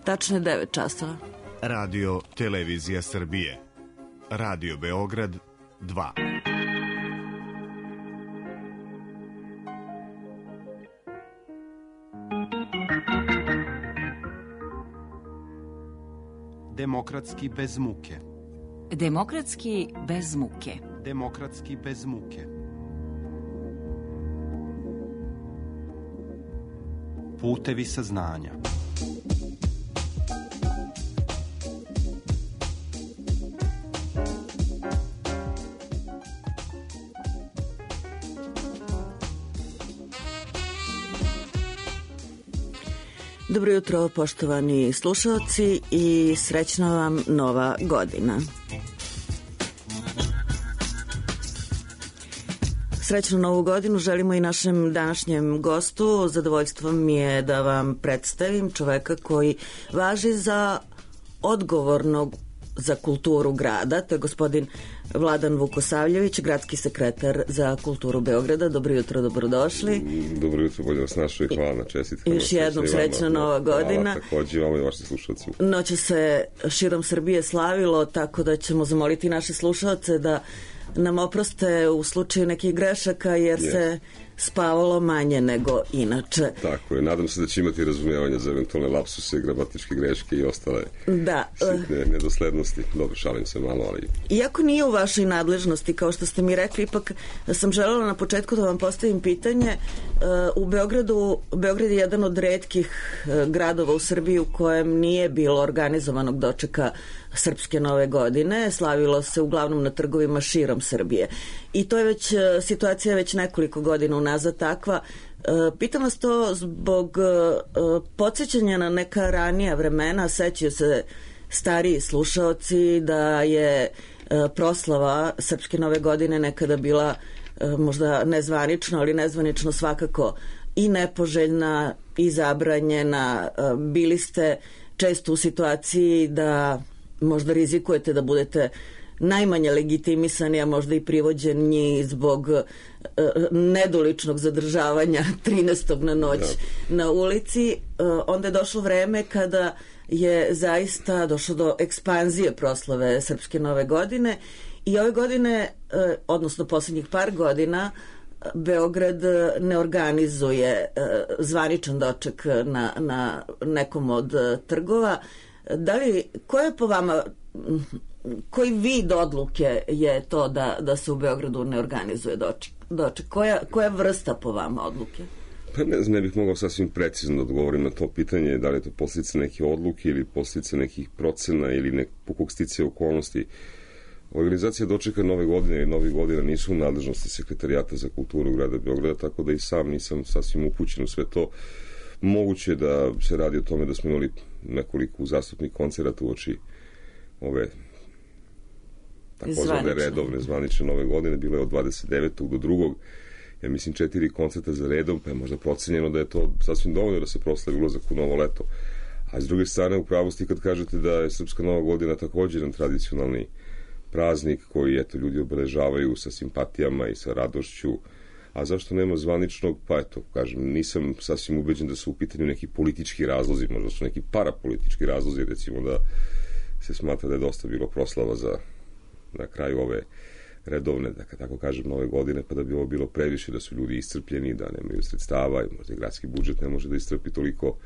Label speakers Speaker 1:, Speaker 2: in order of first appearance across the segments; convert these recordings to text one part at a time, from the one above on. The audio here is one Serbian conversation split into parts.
Speaker 1: Tačno je 9 časova.
Speaker 2: Radio Televizija Srbije. Radio Beograd 2.
Speaker 3: Demokratski bez muke.
Speaker 4: Demokratski bez muke.
Speaker 3: Demokratski bez muke. Putevi saznanja.
Speaker 1: Dobro jutro, poštovani slušalci, i srećna vam nova godina. Srećnu novu godinu želimo i našem današnjem gostu. Zadovoljstvo mi je da vam predstavim čoveka koji važi za odgovornog za kulturu grada. To je gospodin Vladan Vukosavljević, gradski sekretar za kulturu Beograda. Dobro jutro, dobrodošli.
Speaker 5: Dobro jutro, bolje vas našao i hvala na čestitkama.
Speaker 1: Još jednom srećna nova godina.
Speaker 5: Hvala takođe vama i vašim slušalcima.
Speaker 1: Noće se širom Srbije slavilo, tako da ćemo zamoliti naše slušalce da nam oproste u slučaju nekih grešaka, jer se spavalo manje nego inače.
Speaker 5: Tako je, nadam se da će imati razumijevanja za eventualne lapsuse, gramatičke greške i ostale sitne nedoslednosti. Dobro, šalim se malo, ali...
Speaker 1: Iako nije u vašoj nadležnosti, kao što ste mi rekli, ipak sam želela na početku da vam postavim pitanje. U Beograd je jedan od retkih gradova u Srbiji u kojem nije bilo organizovanog dočeka Srpske nove godine. Slavilo se uglavnom na trgovima širom Srbije. I to je već situacija već nekoliko godina unazad takva. Pitam vas to zbog podsjećanja na neka ranija vremena. Sećaju se stariji slušaoci da je proslava Srpske nove godine nekada bila možda nezvanično, ali nezvanično svakako i nepoželjna i zabranjena. Bili ste često u situaciji da možda rizikujete da budete najmanje legitimisani, a možda i privođeni zbog nedoličnog zadržavanja 13. na noć na ulici. Onda je došlo vreme kada je zaista došlo do ekspanzije proslave Srpske nove godine i ove godine, odnosno poslednjih par godina, Beograd ne organizuje zvaničan doček na nekom od trgova. Koja je po vama, koji vid odluke je to da se u Beogradu ne organizuje doček? Koja vrsta po vama odluke?
Speaker 5: Pa ne znam, ne bih mogao sasvim precizno da odgovorim na to pitanje, da li je to posljedica neke odluke ili posljedica nekih procena ili nekog sticaja okolnosti. Organizacija dočeka nove godine i novih godina nisu u nadležnosti Sekretarijata za kulturu grada Beograda, tako da i sam nisam sasvim upućen u sve to. Moguće je da se radi o tome da smo imali nekoliko uzastopnih koncerata uoči ove takozvane redovne zvanične nove godine. Bilo je od 29. do 2. Ja mislim 4 koncerta za redom, pa je možda procenjeno da je to sasvim dovoljno da se proslavi ulazak u novo leto. A s druge strane, u pravosti kad kažete da je Srpska nova godina također jedan tradicionalni praznik koji ljudi obeležavaju sa simpatijama i sa radošću. A zašto nema zvaničnog? Pa eto, kažem, nisam sasvim ubeđen da su u pitanju neki politički razlozi, možda su neki parapolitički razlozi, recimo da se smatra da je dosta bilo proslava za na kraju ove redovne, da tako kažem, nove godine, pa da bi ovo bilo previše, da su ljudi iscrpljeni, da nemaju sredstava i možda i gradski budžet ne može da iscrpi toliko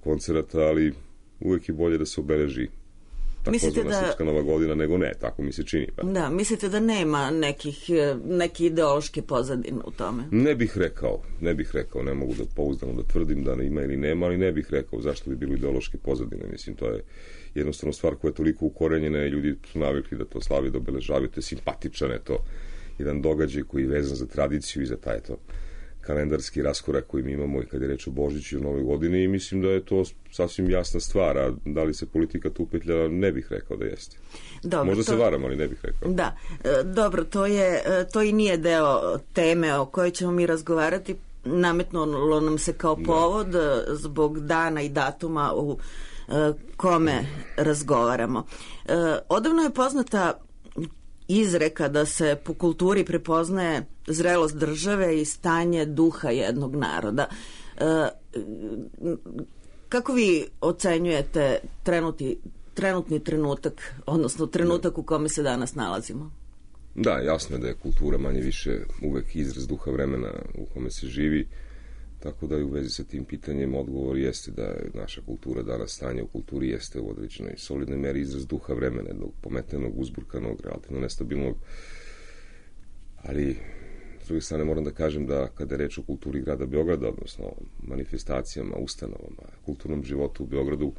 Speaker 5: koncerata, ali uvek je bolje da se obeleži takozvana Srpska nova godina nego ne, tako mi se čini. Pa.
Speaker 1: Da, mislite da nema neke ideološke pozadine u tome?
Speaker 5: Ne bih rekao, ne mogu da pouzdano da tvrdim da ima ili nema, ali ne bih rekao zašto bi bilo ideološke pozadine. Mislim, to je jednostavno stvar koja je toliko ukorenjena i ljudi su navikli da to slavi, da obeležavaju, to je simpatičan, je to jedan događaj koji je vezan za tradiciju i za taj kalendarski raskorak koji mi imamo i kad je reč o Božiću i Novoj godini, i mislim da je to sasvim jasna stvar, a da li se politika tu petlja, ne bih rekao da jeste. Dobro, možda se varam, ali ne bih rekao.
Speaker 1: Da, dobro, to i nije deo teme o kojoj ćemo mi razgovarati. Nametnulo nam se kao povod zbog dana i datuma u kome razgovaramo. Odavno je poznata izreka da se po kulturi prepoznaje zrelost države i stanje duha jednog naroda. Kako vi ocenjujete trenutni trenutak, odnosno trenutak u kome se danas nalazimo?
Speaker 5: Da, jasno je da je kultura manje više uvek izraz duha vremena u kome se živi, tako da i u vezi sa tim pitanjem odgovor jeste da je naša kultura danas, stanje u kulturi jeste u određenoj solidnoj meri izraz duha vremena, jednog pometenog, uzburkanog, relativno nestabilnog, ali s druge strane moram da kažem da kada je reč o kulturi grada Beograda, odnosno manifestacijama, ustanovama, kulturnom životu u Beogradu,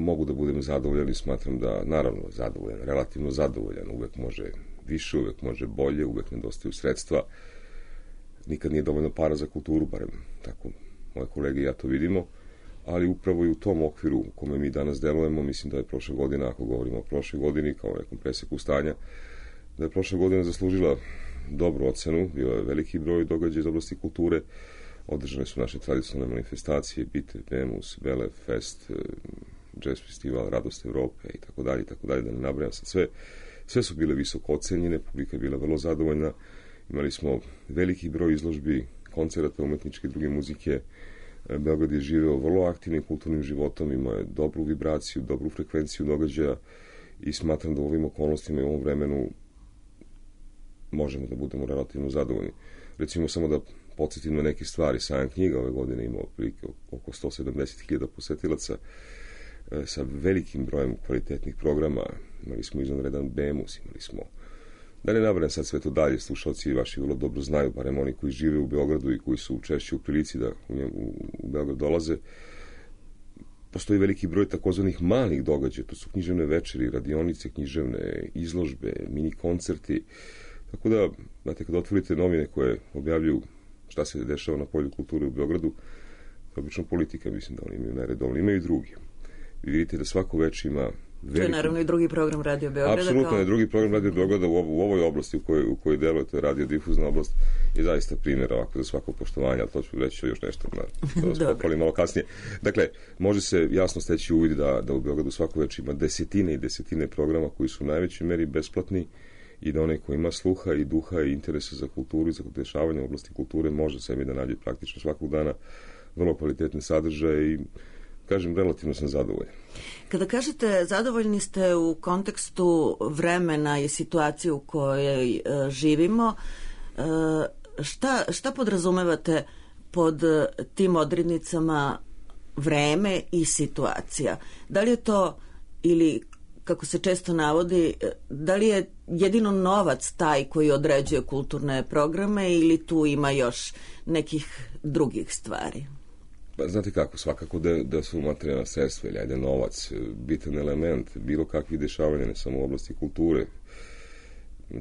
Speaker 5: mogu da budem zadovoljan i smatram da, naravno, zadovoljan, relativno zadovoljan, uvek može više, uvek može bolje, uvek nedostaju sredstva, nikad nije dovoljno para za kulturu, barem tako moje kolege i ja to vidimo, ali upravo i u tom okviru u kome mi danas delujemo, mislim da je prošle godine, ako govorimo o prošle godini kao nekom preseku stanja, da je prošla godina zaslužila dobru ocenu, bio je veliki broj događaja iz oblasti kulture, održane su naše tradicionalne manifestacije, Bite, Demus, Vele, Fest, Jazz Festival, Radost Evrope i tako dalje, da ne nabrajam sad sve. Sve su bile visoko ocenjene, publika je bila vrlo zadovoljna, imali smo veliki broj izložbi, koncerata, umetničke i druge muzike. Beograd je živeo vrlo aktivnim kulturnim životom, imao je dobru vibraciju, dobru frekvenciju događaja i smatram da u ovim okolnostima i u ovom vremenu možemo da budemo relativno zadovoljni. Recimo samo da podsjetim na neke stvari. Sajam knjiga ove godine imao prilike oko 170.000 posetilaca sa velikim brojem kvalitetnih programa. Imali smo izvanredan Bemus, imali smo, da ne nabrajam sad sve to dalje, slušalci vaši vrlo dobro znaju, barem oni koji žive u Beogradu i koji su češće u prilici da u Beograd dolaze. Postoji veliki broj takozvanih malih događaja, to su književne večeri, radionice književne, izložbe, mini koncerti. Tako da, znate, kad otvorite novine koje objavljuju šta se dešava na polju kulture u Beogradu, obično politika, mislim da oni imaju neredovno, imaju i drugi. Vi vidite da svako već ima veliki...
Speaker 1: To je naravno i drugi program Radio Beograda.
Speaker 5: Apsolutno je drugi program Radio Beograda u ovoj oblasti u kojoj deluje, to je radiodifuzna oblast, je zaista primjer ovako za svako poštovanje, ali to ću reći još nešto da vas pohvalim malo kasnije. Dakle, može se jasno steći uvid da u Beogradu svako već ima desetine i desetine programa koji su u najvećoj meri besplatni i da onaj ko ima sluha i duha i interesa za kulturu i za dešavanje u oblasti kulture može sebi da nađe praktično svakog dana vrlo kvalitetne sadržaje i, kažem, relativno sam zadovoljan.
Speaker 1: Kada kažete zadovoljni ste u kontekstu vremena i situacije u kojoj živimo, šta podrazumevate pod tim odrednicama vreme i situacija? Da li je to, ili kako se često navodi, da li je jedino novac taj koji određuje kulturne programe ili tu ima još nekih drugih stvari?
Speaker 5: Pa, znate kako, svakako da su materijalna sredstva ili ajde novac bitan element bilo kakvih dešavanja, ne samo u oblasti kulture.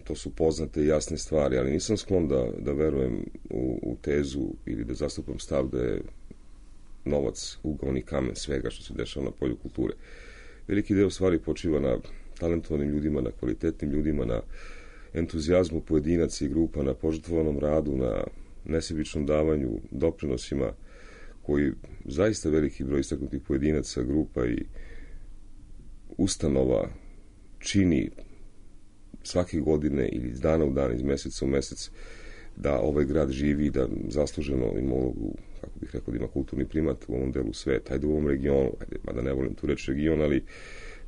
Speaker 5: To su poznate i jasne stvari, ali nisam sklon da verujem u tezu ili da zastupam stav da je novac ugaoni kamen svega što se dešava na polju kulture. Veliki deo stvari počiva na talentovanim ljudima, na kvalitetnim ljudima, na entuzijazmu pojedinaca i grupa, na požrtvovanom radu, na nesebičnom davanju, doprinosima koji zaista veliki broj istaknutih pojedinaca, grupa i ustanova čini svake godine ili iz dana u dan, iz meseca u mesec, da ovaj grad živi i da zasluženo ima ulogu, kako bih rekao, da ima kulturni primat u ovom delu sveta, ajde u ovom regionu, mada ne volim tu reći region, ali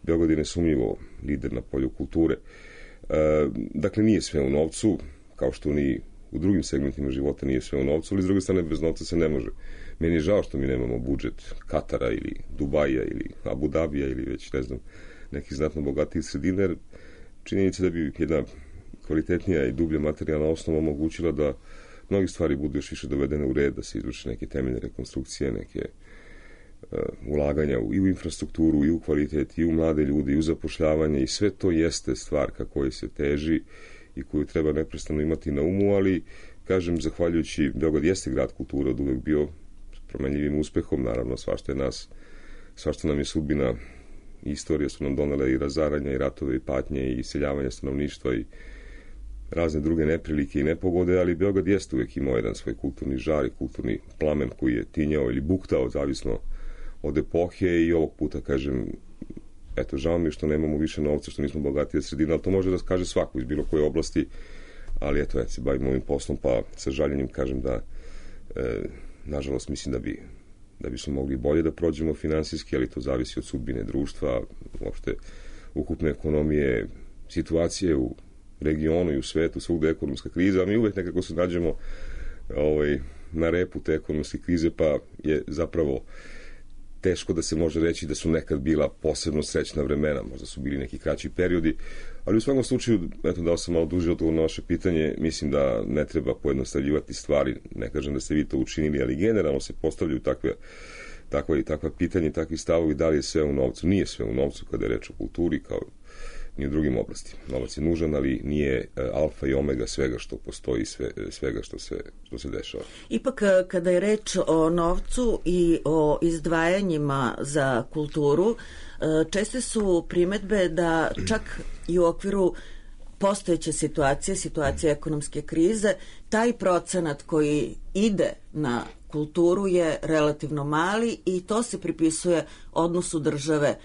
Speaker 5: Beograd je nesumnjivo lider na polju kulture. Dakle, nije sve u novcu, kao što ni u drugim segmentima života nije sve u novcu, ali s druge strane bez novca se ne može. Meni je žao što mi nemamo budžet Katara ili Dubaja ili Abu Dabija ili već, ne znam, nekih znatno bogatijih sredina, jer činjenica da bi jedna kvalitetnija i dublja materijalna osnova omogućila da mnogi stvari budu još više dovedene u red, da se izvrše neke temeljne rekonstrukcije, neke ulaganja i u infrastrukturu, i u kvalitet, i u mlade ljude, i u zapošljavanje, i sve to jeste stvar ka kojoj se teži i koju treba neprestano imati na umu, ali, kažem, zahvaljujući, Beograd jeste grad kulture, od uvek bio promenljivim uspehom, naravno, svašta nam je sudbina i istorija su nam donele i razaranja, i ratove, i patnje, i iseljavanja stanovništva, i razne druge neprilike i nepogode, ali Beograd jeste uvek imao jedan svoj kulturni žar i kulturni plamen koji je tinjao ili buktao, zavisno od epohe, i ovog puta, kažem, eto, žao mi je što nemamo više novca, što nismo bogatije sredina, ali to može da kaže svako iz bilo koje oblasti, ali eto, se bavim ovim poslom, pa sa žaljenjem kažem da, nažalost, mislim da bi da bismo mogli bolje da prođemo finansijski, ali to zavisi od sudbine društva, uopšte ukupne ekonomije, situacije u regionu i u svetu, svugde je ekonomska kriza, a mi uvek nekako se nađemo na repu te ekonomske krize, pa je zapravo teško da se može reći da su nekad bila posebno srećna vremena, možda su bili neki kraći periodi, ali u svakom slučaju, eto, dao sam malo duži odgovor na vaše pitanje, mislim da ne treba pojednostavljivati stvari, ne kažem da ste vi to učinili, ali generalno se postavljaju takva pitanja i takvi stavovi, da li je sve u novcu. Nije sve u novcu kada je reč o kulturi, kao ni u drugim oblastima. Novac je nužan, ali nije alfa i omega svega što postoji, svega što se dešava.
Speaker 1: Ipak, kada je reč o novcu i o izdvajanjima za kulturu, česte su primetbe da čak i u okviru postojeće situacije ekonomske krize, taj procenat koji ide na kulturu je relativno mali i to se pripisuje odnosu države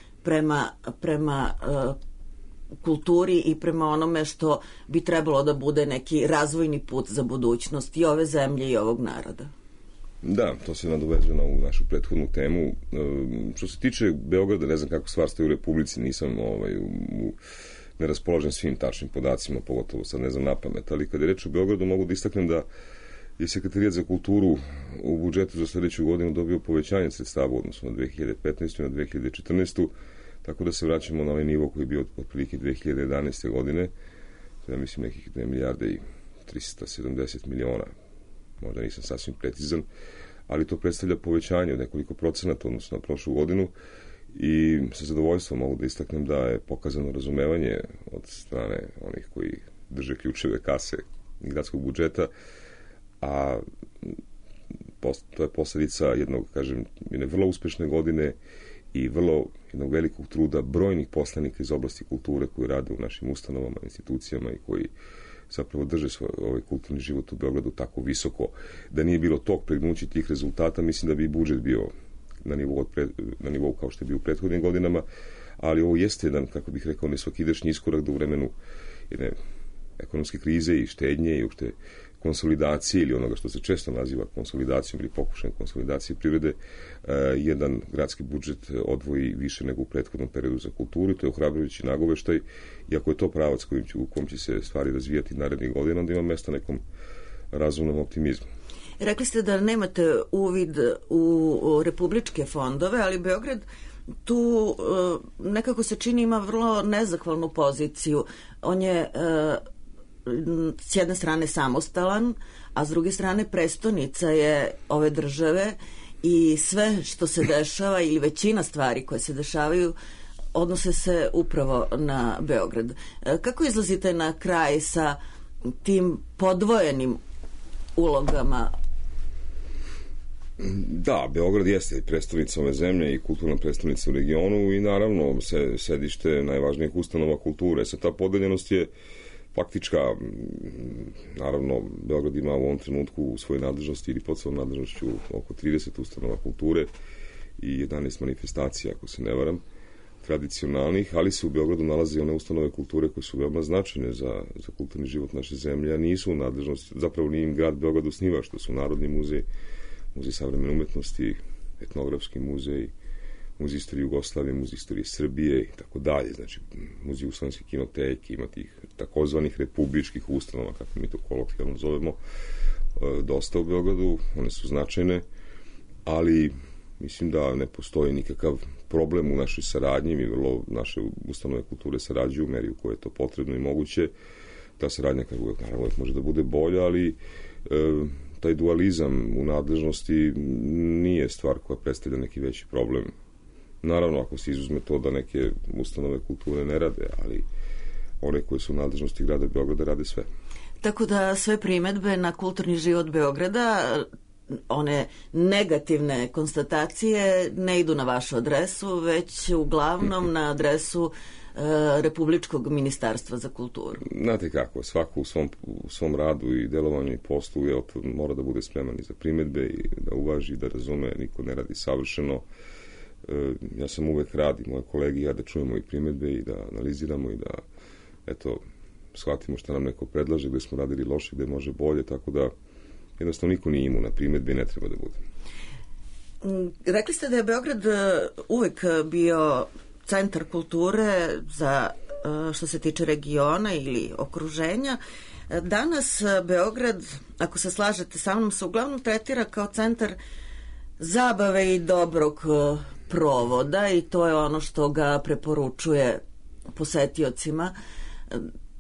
Speaker 1: prema kulturi i prema onome što bi trebalo da bude neki razvojni put za budućnost i ove zemlje i ovog naroda.
Speaker 5: Da, to se nadovezuje na ovu našu prethodnu temu. Što se tiče Beograda, ne znam kako stvar stoji u Republici, nisam ne raspoložen svim tačnim podacima, pogotovo sad ne znam napamet, ali kada je reč o Beogradu mogu da istaknem da je Sekretarijat za kulturu u budžetu za sledeću godinu dobio povećanje sredstava u odnosu na 2015. i na 2014. Tako da se vraćamo na ovaj nivo koji je bio otprilike 2011. godine, to je, mislim, nekih 2 milijarde i 370 miliona, možda nisam sasvim precizan, ali to predstavlja povećanje od nekoliko procenata odnosno na prošlu godinu i sa zadovoljstvom mogu da istaknem da je pokazano razumevanje od strane onih koji drže ključeve kase i gradskog budžeta, a to je posledica jedne vrlo uspešne godine i vrlo jednog velikog truda brojnih poslanika iz oblasti kulture koji rade u našim ustanovama, institucijama i koji zapravo drže ovaj kulturni život u Beogradu tako visoko. Da nije bilo tog pregnuća tih rezultata, mislim da bi i budžet bio na nivou kao što je bio u prethodnim godinama, ali ovo jeste jedan, kako bih rekao, nesvakidašnji iskorak da u vremenu jedne ekonomske krize i štednje i uopšte konsolidacije ili onoga što se često naziva konsolidacijom ili pokušajem konsolidacije privrede, jedan gradski budžet odvoji više nego u prethodnom periodu za kulturu i to je ohrabrujući nagoveštaj, i ako je to pravac u kom će se stvari razvijati narednih godina, onda ima mesta nekom razumnom optimizmu.
Speaker 1: Rekli ste da nemate uvid u republičke fondove, ali Beograd tu nekako se čini ima vrlo nezahvalnu poziciju. On je s jedne strane samostalan, a s druge strane prestonica je ove države i sve što se dešava ili većina stvari koje se dešavaju odnose se upravo na Beograd. Kako izlazite na kraj sa tim podvojenim ulogama?
Speaker 5: Da, Beograd jeste prestonica ove zemlje i kulturna prestonica u regionu i naravno sedište najvažnijih ustanova kulture. Ta podeljenost je faktička. Naravno, Beograd ima u ovom trenutku u svojoj nadležnosti ili pod svojom nadležnošću oko 30 ustanova kulture i 11 manifestacija, ako se ne varam, tradicionalnih, ali se u Beogradu nalaze one ustanove kulture koje su veoma značajne za kulturni život naše zemlje, a nisu u nadležnosti, zapravo nije im grad Beograd osniva, što su Narodni muzej, Muzej savremene umetnosti, Etnografski muzej, Muzej istorije Jugoslavije, Muzej istorije Srbije i tako dalje. Znači, Muzej Jugoslovenske kinoteke, ima tih takozvanih republičkih ustanova, kako mi to kolokvijalno zovemo, dosta u Beogradu, one su značajne, ali mislim da ne postoji nikakav problem u našoj saradnji, mi vrlo naše ustanove kulture sarađuju u meri u kojoj je to potrebno i moguće. Ta saradnja, naravno, može da bude bolja, ali taj dualizam u nadležnosti nije stvar koja predstavlja neki veći problem. Naravno, ako se izuzme to da neke ustanove kulture ne rade, ali one koje su u nadležnosti grada Beograda rade sve.
Speaker 1: Tako da sve primedbe na kulturni život Beograda, one negativne konstatacije ne idu na vašu adresu, već uglavnom na adresu Republičkog ministarstva za kulturu.
Speaker 5: Znate kako, svako u svom radu i delovanju i poslu mora da bude spreman i za primedbe i da uvaži, da razume, niko ne radi savršeno. Ja sam uvek rad i moje kolege i ja da čujemo i primedbe i da analiziramo i da shvatimo šta nam neko predlaže, gde smo radili loše, gde može bolje, tako da jednostavno niko nije imao na primedbe i ne treba da bude.
Speaker 1: Rekli ste da je Beograd uvek bio centar kulture za što se tiče regiona ili okruženja. Danas Beograd, ako se slažete sa mnom, se uglavnom tretira kao centar zabave i dobrog provoda i to je ono što ga preporučuje posetiocima.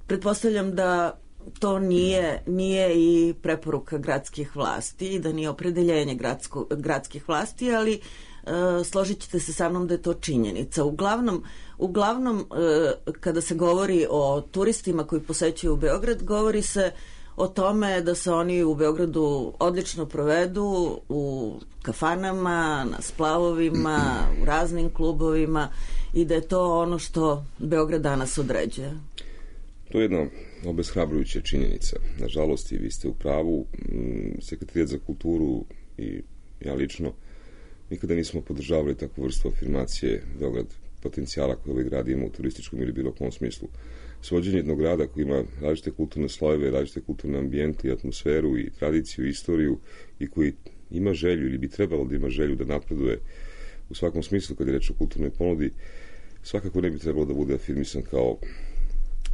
Speaker 1: Pretpostavljam da to nije i preporuka gradskih vlasti i da nije opredeljenje gradskih vlasti, ali složit ćete se sa mnom da je to činjenica. Uglavnom, kada se govori o turistima koji posećuju Beograd, govori se o tome da se oni u Beogradu odlično provedu u kafanama, na splavovima, u raznim klubovima i da je to ono što Beograd danas određuje.
Speaker 5: To je jedna obeshrabrujuća činjenica. Nažalost, i vi ste u pravu. Sekretarijat za kulturu i ja lično nikada nismo podržavali takvu vrstu afirmacije Beograd potencijala koje ovaj grad ima u turističkom ili bilo kom smislu. Svođenje jednog grada koji ima različite kulturne slojeve, različite kulturne ambijente i atmosferu i tradiciju i istoriju i koji ima želju ili bi trebalo da ima želju da napreduje u svakom smislu kad je reč o kulturnoj ponudi, svakako ne bi trebalo da bude afirmisan kao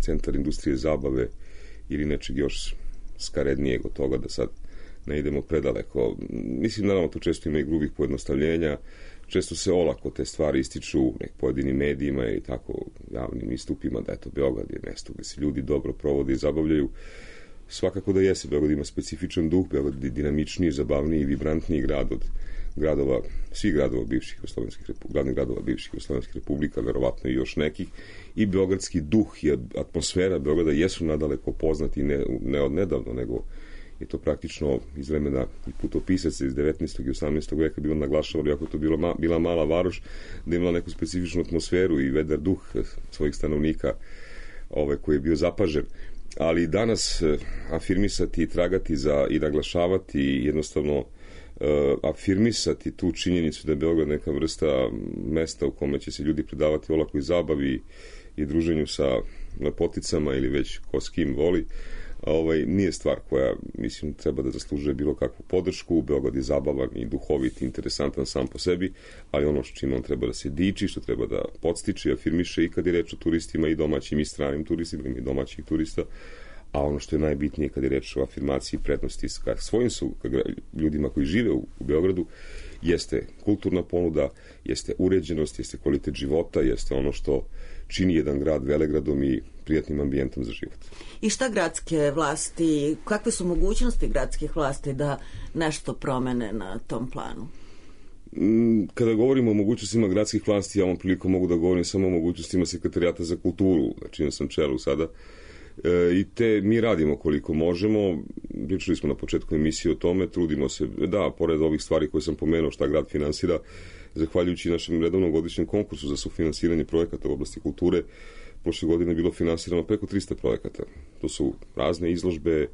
Speaker 5: centar industrije zabave ili nečeg još skarednijeg od toga, da sad ne idemo predaleko. Mislim, naravno, to često ima i grubih pojednostavljenja, često se olako te stvari ističu u pojedinim medijima i tako javnim istupima da je to Beograd je mesto gde se ljudi dobro provode i zabavljaju. Svakako da jeste, Beograd ima specifičan duh, Beograd je dinamičniji, zabavniji i vibrantniji grad od gradova, svih gradova bivših glavnih gradova bivših Jugoslovenskih republika, verovatno i još nekih, i beogradski duh i atmosfera Beograda jesu nadaleko poznati ne od nedavno, nego je to praktično iz vremena i putopisaca iz 19. i 18. veka bilo naglašavalo, iako to bila mala varoš, da imala neku specifičnu atmosferu i vedar duh svojih stanovnika koji je bio zapažen. Ali danas afirmisati i tragati i naglašavati i jednostavno afirmisati tu činjenicu da je Beograd neka vrsta mesta u kome će se ljudi predavati olakoj zabavi i druženju sa lepoticama ili već ko s kim voli, nije stvar koja, mislim, treba da zaslužuje bilo kakvu podršku. Beograd je zabavan i duhovit i interesantan sam po sebi, ali ono čime on treba da se diči, što treba da podstiče i afirmiše i kad je reč o turistima i domaćim i stranim turistima i domaćih turista, a ono što je najbitnije kad je reč o afirmaciji prednosti ka svojim ljudima koji žive u Beogradu, jeste kulturna ponuda, jeste uređenost, jeste kvalitet života, jeste ono što čini jedan grad velegradom i prijatnim ambijentom za život.
Speaker 1: I šta gradske vlasti, kakve su mogućnosti gradskih vlasti da nešto promene na tom planu?
Speaker 5: Kada govorimo o mogućnostima gradskih vlasti, ja ovom prilikom mogu da govorim samo o mogućnostima Sekretarijata za kulturu, na čijem sam čelu sada. I mi radimo koliko možemo, pričali smo na početku emisije o tome, trudimo se, da, pored ovih stvari koje sam pomenuo šta grad finansira, zahvaljujući našem redovnom godišnjem konkursu za sufinansiranje projekata u oblasti kulture, prošle godine je bilo finansirano preko 300 projekata. To su razne izložbe,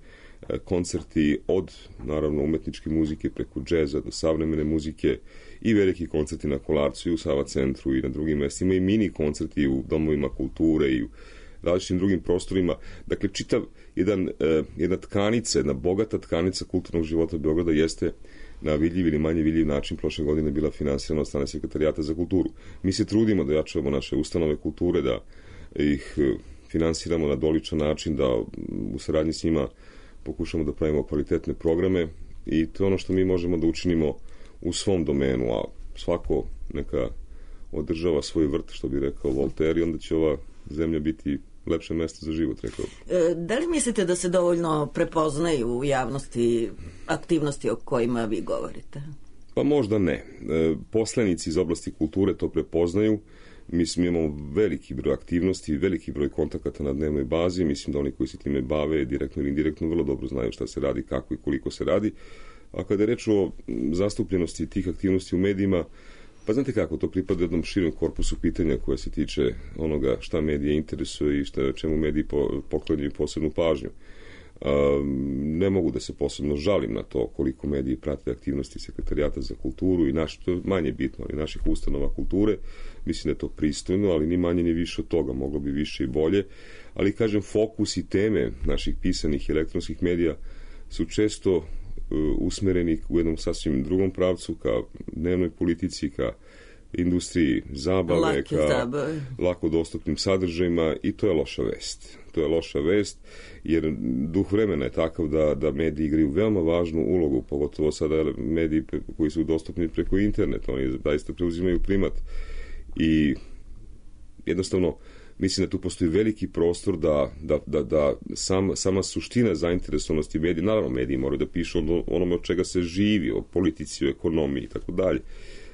Speaker 5: koncerti od, naravno, umetničke muzike preko džeza do savremene muzike i veliki koncerti na Kolarcu i u Sava centru i na drugim mestima i mini koncerti u domovima kulture i u različitim drugim prostorima. Dakle, čitav jedna tkanica, jedna bogata tkanica kulturnog života Beograda jeste na vidljiv ili manje vidljiv način prošle godine bila finansirana od strane Sekretarijata za kulturu. Mi se trudimo da jačamo naše ustanove kulture, da ih finansiramo na doličan način, da u saradnji s njima pokušamo da pravimo kvalitetne programe i to je ono što mi možemo da učinimo u svom domenu, a svako neka održava svoj vrt, što bi rekao Voltaire, i onda će ova zemlja biti lepše mesto za život, rekao.
Speaker 1: Da li mislite da se dovoljno prepoznaju u javnosti aktivnosti o kojima vi govorite?
Speaker 5: Pa možda ne. Poslanici iz oblasti kulture to prepoznaju. Mislim, imamo veliki broj aktivnosti, veliki broj kontakata na dnevnoj bazi. Mislim da oni koji se time bave direktno ili indirektno vrlo dobro znaju šta se radi, kako i koliko se radi. A kada je reč o zastupljenosti tih aktivnosti u medijima, pa znate kako, to pripada jednom širom korpusu pitanja koja se tiče onoga šta medije interesuje i čemu mediji poklanjaju posebnu pažnju. Ne mogu da se posebno žalim na to koliko mediji prate aktivnosti Sekretarijata za kulturu i to je manje bitno, ali naših ustanova kulture. Mislim da je to pristojno, ali ni manje ni više od toga, moglo bi više i bolje. Ali, kažem, fokus i teme naših pisanih i elektronskih medija su često usmereni u jednom sasvim drugom pravcu, ka dnevnoj politici, ka industriji zabave, ka lako dostupnim sadržajima, i to je loša vest. To je loša vest, jer duh vremena je takav da mediji igraju veoma važnu ulogu, pogotovo sada mediji koji su dostupni preko interneta, oni zaista preuzimaju primat i jednostavno mislim da tu postoji veliki prostor da sama suština zainteresovanosti medija, naravno mediji moraju da pišu onome od čega se živi, o politici, o ekonomiji i tako dalje,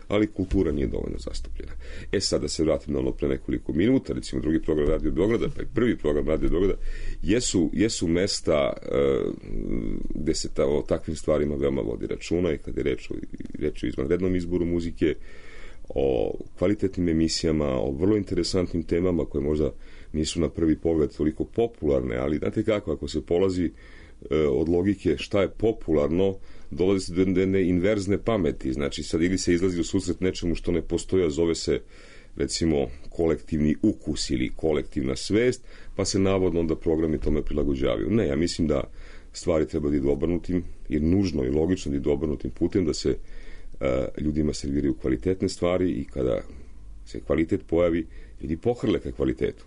Speaker 5: ali kultura nije dovoljno zastupljena. Sad da se vratim na ono pre nekoliko minuta, recimo drugi program Radio Beograda, pa i prvi program Radio Beograda, jesu mesta gde se o takvim stvarima veoma vodi računa, i kada je reč o izvanrednom izboru muzike, o kvalitetnim emisijama, o vrlo interesantnim temama koje možda nisu na prvi pogled toliko popularne, ali znate kako, ako se polazi od logike šta je popularno, dolazi se do jedne inverzne pameti. Znači, sad ili se izlazi u susret nečemu što ne postoji, a zove se, recimo, kolektivni ukus ili kolektivna svest, pa se navodno onda programi tome prilagođavaju. Ne, ja mislim da stvari treba da idu obrnutim, jer nužno i logično da idu obrnutim putem, da se ljudima serviraju kvalitetne stvari, i kada se kvalitet pojavi, ljudi pohrle ka kvalitetu.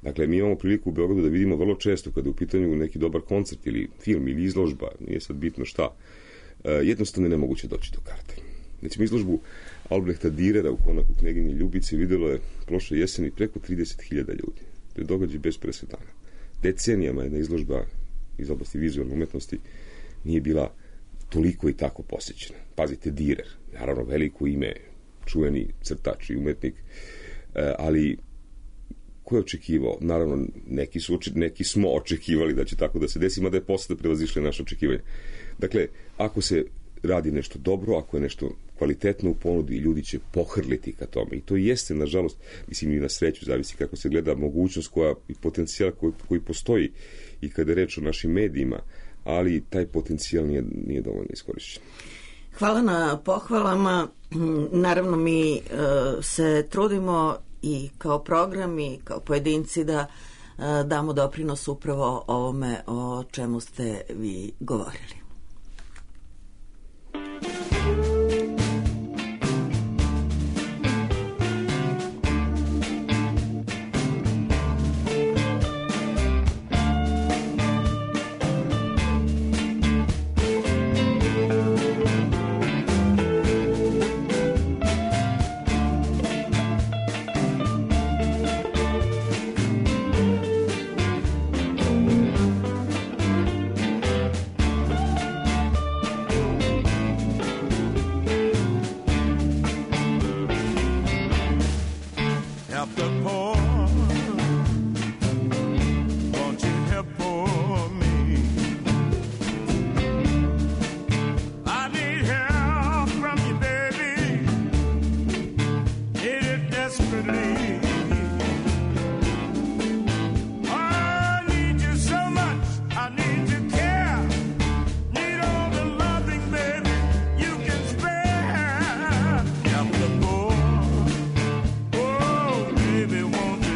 Speaker 5: Dakle, mi imamo priliku u Beogradu da vidimo vrlo često, kada je u pitanju neki dobar koncert ili film ili izložba, nije sad bitno šta, jednostavno je nemoguće doći do karte. Znači, izložbu Albrehta Dürera u Konaku Kneginje Ljubice videlo je prošle jeseni preko 30.000 ljudi. To je događaj bez presedana. Decenijama jedna izložba iz oblasti vizualne umetnosti nije bila toliko i tako posjećena. Pazite, Dürer, naravno veliko ime, čuveni crtač i umetnik, ali ko je očekivao? Naravno, neki smo očekivali da će tako da se desi, mada je posle prevazišle naše očekivanje. Dakle, ako se radi nešto dobro, ako je nešto kvalitetno u ponudi, ljudi će pohrliti ka tome. I to jeste, nažalost, mislim i na sreću, zavisi kako se gleda mogućnost i potencijal koji postoji i kada je reč o našim medijima, ali taj potencijal nije dovoljno iskorišćen.
Speaker 1: Hvala na pohvalama. Naravno, mi se trudimo i kao program i kao pojedinci da damo doprinos upravo ovome o čemu ste vi govorili.
Speaker 6: Baby, won't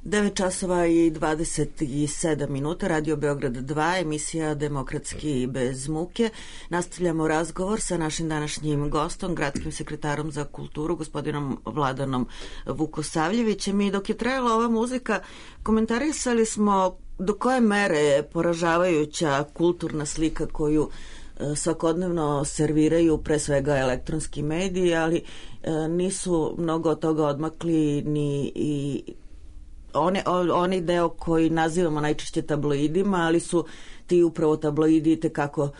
Speaker 1: 9 časova i 27 minuta, Radio Beograd 2, emisija Demokratski bez muke. Nastavljamo razgovor sa našim današnjim gostom, gradskim sekretarom za kulturu, gospodinom Vladanom Vukosavljevićem. I dok je trajala ova muzika, komentarisali smo do koje mere je poražavajuća kulturna slika koju svakodnevno serviraju pre svega elektronski mediji, ali nisu mnogo od toga odmakli ni i oni deo koji nazivamo najčešće tabloidima, ali su ti upravo tabloidi tekako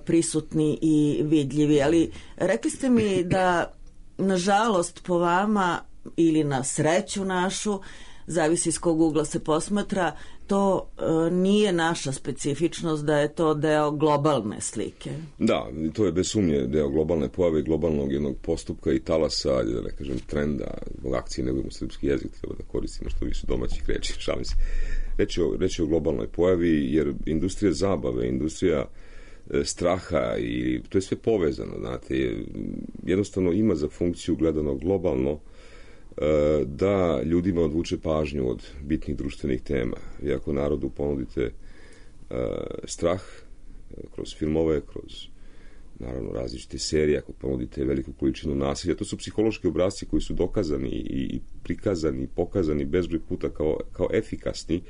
Speaker 1: prisutni i vidljivi. Ali rekli ste mi da, nažalost, po vama ili na sreću našu, zavisi iz kog ugla se posmatra, to nije naša specifičnost, da je to deo globalne slike.
Speaker 5: Da, to je bez sumnje deo globalne pojave, globalnog jednog postupka i talasa, da ne kažem trenda, zbog akcije nego srpski jezik, treba da koristimo što više domaćih reči, šalim se. Reći o globalnoj pojavi, jer industrija zabave, industrija straha, i to je sve povezano, znate, jednostavno ima za funkciju gledano globalno da ljudima odvuče pažnju od bitnih društvenih tema. I ako narodu ponudite strah kroz filmove, kroz naravno različite serije, ako ponudite veliku količinu nasilja, to su psihološki obrasci koji su dokazani i prikazani i pokazani bezbroj puta kao efikasni.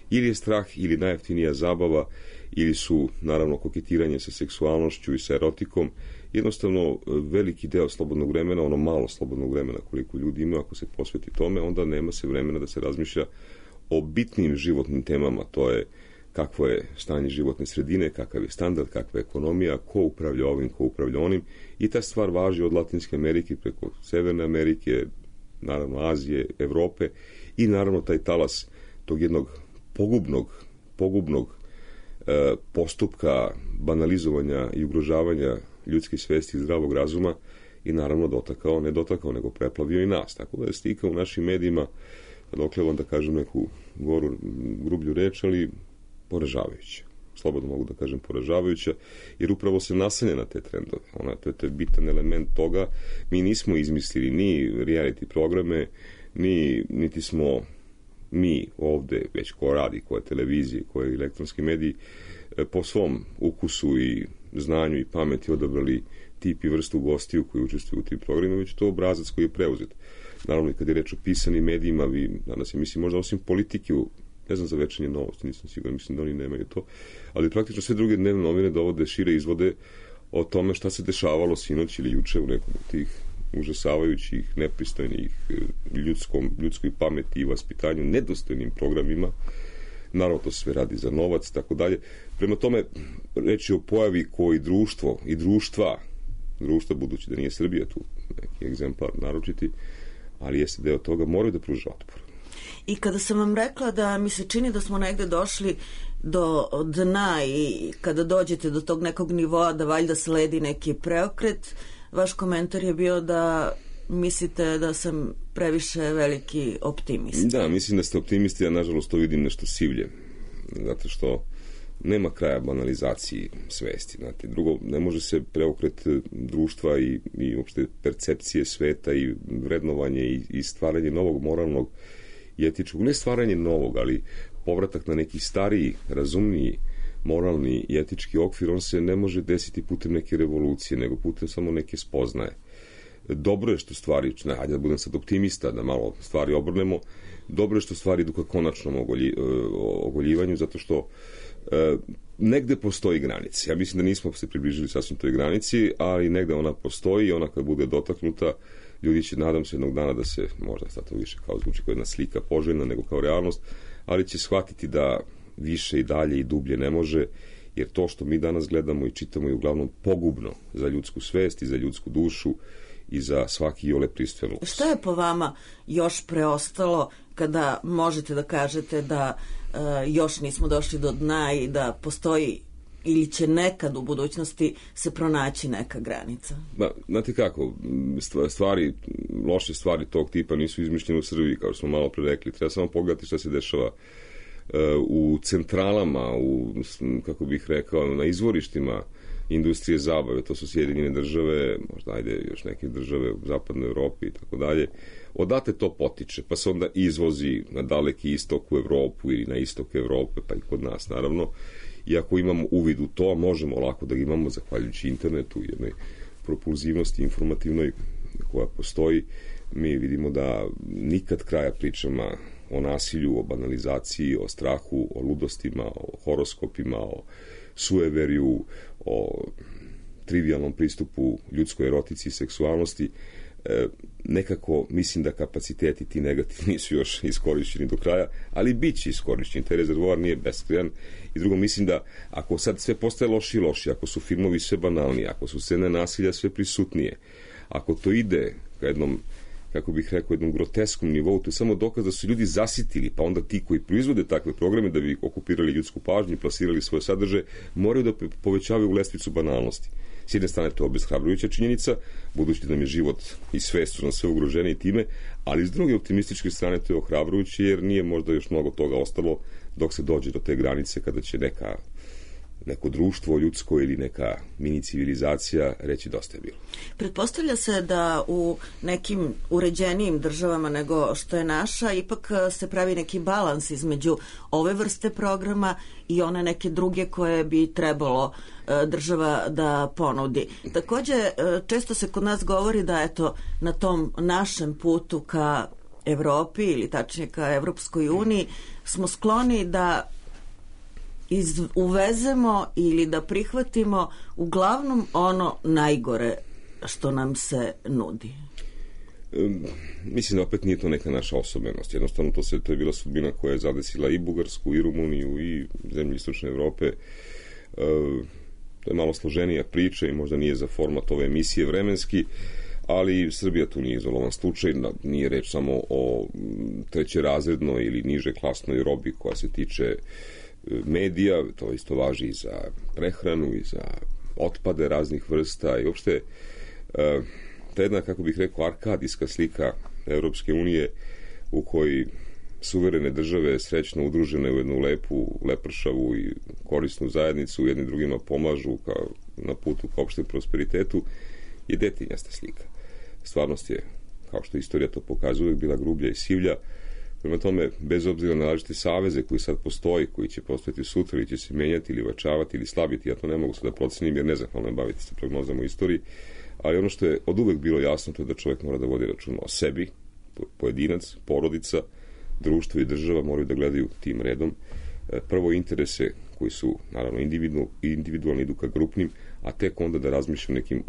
Speaker 5: Ili je strah ili najjeftinija zabava, ili su naravno koketiranje sa seksualnošću i sa erotikom. Jednostavno veliki deo slobodnog vremena, ono malo slobodnog vremena koliko ljudi ima, ako se posveti tome, onda nema se vremena da se razmišlja o bitnim životnim temama. To je kakvo je stanje životne sredine, kakav je standard, kakva je ekonomija, ko upravlja ovim, ko upravlja onim. I ta stvar važi od Latinske Amerike preko Severne Amerike, naravno Azije, Evrope i naravno taj talas tog jednog pogubnog postupka banalizovanja i ugrožavanja ljudske svesti i zdravog razuma i naravno ne dotakao, nego preplavio i nas. Tako da je slika u našim medijima, dokle vam da kažem neku grublju reč, ali poražavajuća. Slobodno mogu da kažem poražavajuća, jer upravo se naslanja na te trendove. To je bitan element toga. Mi nismo izmislili ni reality programe, niti smo mi ovde, već ko radi, koje televizije, koje elektronski mediji, po svom ukusu i znanju i pameti odabrali tip i vrstu gostiju koji učestvuju u tim programima, već to obrazac koji je preuzet. Naravno, i kad je reč o pisanim medijima, vi danas je, mislim, možda osim politike, ne znam za Večernje novosti, nisam siguran, mislim da oni nemaju to, ali praktično sve druge dnevne novine dovode šire izvode o tome šta se dešavalo sinoć ili juče u nekom od tih užasavajućih, nepristojnih, ljudskoj pameti i vaspitanju, nedostojnim programima. Naravno, to sve radi za novac, tako dalje. Prema tome, reći o pojavi koji društva, budući da nije Srbija tu neki egzemplar naročiti, ali jeste deo toga, moraju da pruža otpor.
Speaker 1: I kada sam vam rekla da mi se čini da smo negde došli do dna i kada dođete do tog nekog nivoa da valjda sledi neki preokret, vaš komentar je bio da mislite da sam previše veliki optimista. Da,
Speaker 5: mislim da ste optimisti, ja nažalost to vidim nešto sivlje, zato što nema kraja banalizaciji svesti. Znate. Drugo, ne može se preokret društva i uopšte percepcije sveta i vrednovanje i stvaranje novog moralnog i etičkog, ne stvaranje novog, ali povratak na neki stariji, razumniji, moralni i etički okvir, on se ne može desiti putem neke revolucije, nego putem samo neke spoznaje. Dobro je što stvari, hajde da budem sad optimista, da malo stvari obrnemo, dobro je što stvari idu ka konačnom ogoljivanju, zato što negde postoji granica. Ja mislim da nismo se približili sasvim toj granici, ali negde ona postoji i ona kad bude dotaknuta, ljudi će, nadam se, jednog dana da se, možda sad to više kao zvuči kao jedna slika poželjna nego kao realnost, ali će shvatiti da više i dalje i dublje ne može, jer to što mi danas gledamo i čitamo je uglavnom pogubno za ljudsku svest i za ljudsku dušu i za svaki iole pristojan luks.
Speaker 1: Šta je po vama još preostalo kada možete da kažete da još nismo došli do dna i da postoji ili će nekad u budućnosti se pronaći neka granica?
Speaker 5: Znate kako, loše stvari tog tipa nisu izmišljene u Srbiji, kao što smo malo pre rekli. Treba samo pogledati šta se dešava u centralama, kako bih rekao, na izvorištima industrije zabave, to su Sjedinjene države, možda ajde još neke države u zapadnoj Evropi i tako dalje. Odate to potiče, pa se onda izvozi na daleki istok u Evropu ili na istok Evrope, pa i kod nas naravno. I ako imamo uvid u to, možemo lako da ga imamo zahvaljujući internetu i jednoj propulzivnosti informativnoj koja postoji. Mi vidimo da nikad kraja pričama o nasilju, o banalizaciji, o strahu, o ludostima, o horoskopima, o sueveriju, o trivialnom pristupu ljudskoj erotici i seksualnosti. Nekako mislim da kapaciteti ti negativni nisu još iskorišćeni do kraja, ali bit će iskorišćeni. Taj rezervoar nije beskrajan. I drugo, mislim da ako sad sve postaje loši i loši, ako su filmovi sve banalniji, ako su scene nasilja sve prisutnije, ako to ide ka jednom, kako bih rekao, jednom groteskom nivou, to je samo dokaz da su ljudi zasitili, pa onda ti koji proizvode takve programe da bi okupirali ljudsku pažnju i plasirali svoje sadržaje, moraju da povećavaju lestvicu banalnosti. S jedne strane to je obeshrabrujuća činjenica, budući da nam je život i svest su nam sve ugroženi time, ali s druge optimističke strane to je ohrabrujuće, jer nije možda još mnogo toga ostalo dok se dođe do te granice kada će neko društvo ljudsko ili neka mini civilizacija reći dosta je bilo.
Speaker 1: Pretpostavlja se da u nekim uređenijim državama nego što je naša ipak se pravi neki balans između ove vrste programa i one neke druge koje bi trebalo država da ponudi. Takođe, često se kod nas govori da eto na tom našem putu ka Evropi ili tačnije ka Evropskoj uniji smo skloni da uvezemo ili da prihvatimo uglavnom ono najgore što nam se nudi.
Speaker 5: Mislim da opet nije to neka naša osobenost. Jednostavno to je bila sudbina koja je zadesila i Bugarsku, i Rumuniju, i zemlje istočne Evrope. To je malo složenija priča i možda nije za format ove emisije vremenski, ali Srbija tu nije izolovan slučaj, nije reč samo o trećerazrednoj ili niže klasnoj robi koja se tiče medija, to isto važi i za prehranu i za otpade raznih vrsta i uopšte ta jedna, kako bih rekao, arkadijska slika Evropske unije u kojoj suverene države srećno udružene u jednu lepu, lepršavu i korisnu zajednicu jedni drugima pomažu na putu ka opštem prosperitetu je detinjasta slika. Stvarnost je, kao što istorija to pokazuje, bila grublja i sivlja. Prema tome, bez obzira na različite saveze koji sad postoji, koji će postojati sutra ili će se menjati ili vačavati ili slabiti, ja to ne mogu sad da procenim jer nezahvalno je baviti se prognozama u istoriji, ali ono što je od uvek bilo jasno to je da čovjek mora da vodi računa o sebi, pojedinac, porodica, društvo i država moraju da gledaju tim redom. Prvo interese koji su naravno individualni idu ka grupnim, a tek onda da razmišljam nekim